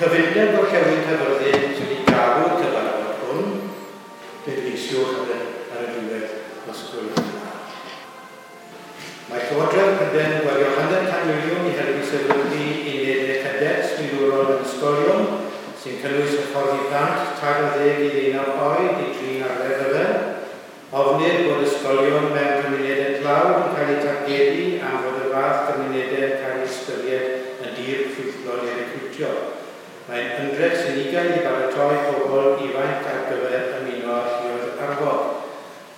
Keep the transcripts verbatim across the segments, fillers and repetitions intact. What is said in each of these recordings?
Cyfundeb Gorllewin Caerfyrddin sydd wedi galw'r cyfarfod hwn, pleidleisiwch ar y, ar y diwedd os gwelwch yn dda. Mae Llywodraeth Prydain yn gwario hanner can miliwn i helpu sefydlu unedau cadets milwrol yn ysgolion sy'n cynnwys hyfforddi plant tair ar ddeg i ddeunaw oed i drin arfer rhyfel. Ofnir bod ysgolion mewn cymunedau tlawd yn cael eu targedu am fod y fath gymunedau yn cael eu ystyried yn dir ffrwythlon i recriwtio. Mae'n ymdrech sinigaidd i baratoi pobl ifanc ar gyfer ymuno â lluoedd arfog.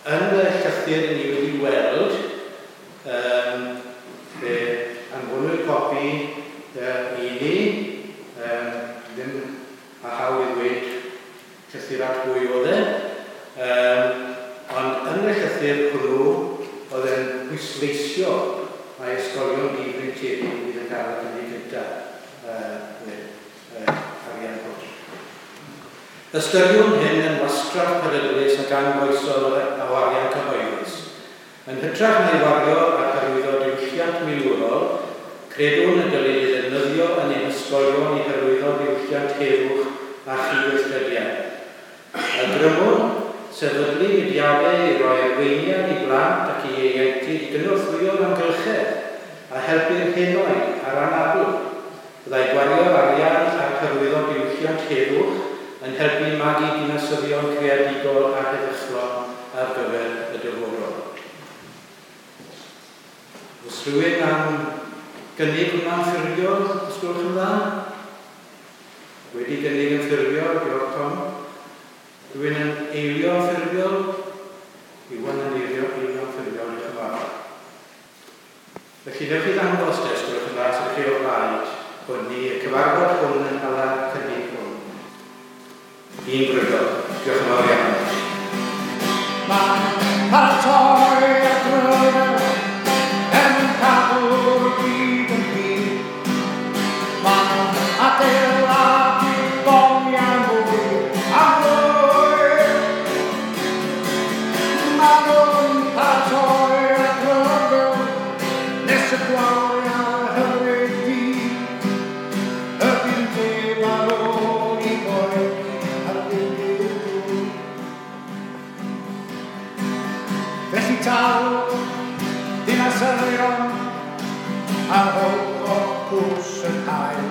Yn y llythyr ni wedi weld, um, fe anfonwyd copi uh, i ni, um, ddim a hawl i ddweud llythyr at bwy oedd e, um, ond yn y llythyr hwnnw oedd e'n pwysleisio mae ysgolion difreintiedig fydd yn cael y cynnig gyntaf uh, arian hwn. Ystyriwn hyn yn wastraff peryglus ac anfoesol o arian cyhoeddus. Yn hytrach na'i wario ar hyrwyddo diwylliant milwrol, credwn y dylid ei ddefnyddio yn ein hysgolion i hyrwyddo diwylliant heddwch a chydweithrediad. Awgrymwn sefydlu mudiadau i roi arweiniad i blant ac i ieuenctid i gynorthwyo'r amgylchedd a helpu'r henoed a'r anabl. Byddai gwario'r arian ar hyrwyddo diwylliant heddwch yn helpu magu dinasyddion creadigol a heddychlon ar gyfer y dyfodol. Oes rhywun am gynnig hwnna'n ffurfiol, os gwelwch yn dda? Wedi gynnig yn ffurfiol, diolch Tom. Rhywun yn eilio yn ffurfiol? Iwan yn eilio, eilio yn ffurfiol, diolch yn fawr. Felly, newch chi ddangos te, os gwelwch yn dda, sydd chi o blaid hwn ni, y cyfarfod hwn yn hala cynnig hwn. Un brydol. Diolch yn fawr iawn. Mae'n paratoi at ryfel er mwyn cadw'r byd yn hir. Mae'n adeiladu bomiau mwy a mwy. Maen nhw'n paratoi at ryfel nes y gwawriau hyfryd dydd. Y bydd neb ar ôl i boeni ar ddiwedd dŵr. Felly tal dinasyddion a rhowch cwrs yn hael.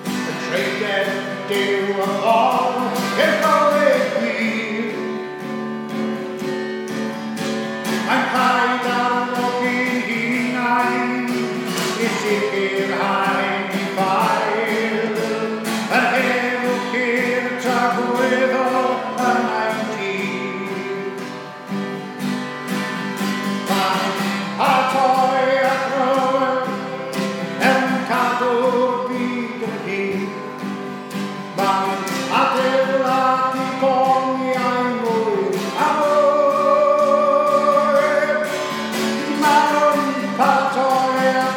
Y treigen Duw y ffordd i'r bywyd gwir. Mae'n rhaid arfogi'n hunain i sicrhau ni ffael. Yr heddwch i'r tragwyddol yn ein tir. Mae'n paratoi at ryfel er mwyn cadw'r byd yn hir. Mae'n adeiladu bomiau mwy a mwy. Maen nhw'n paratoi at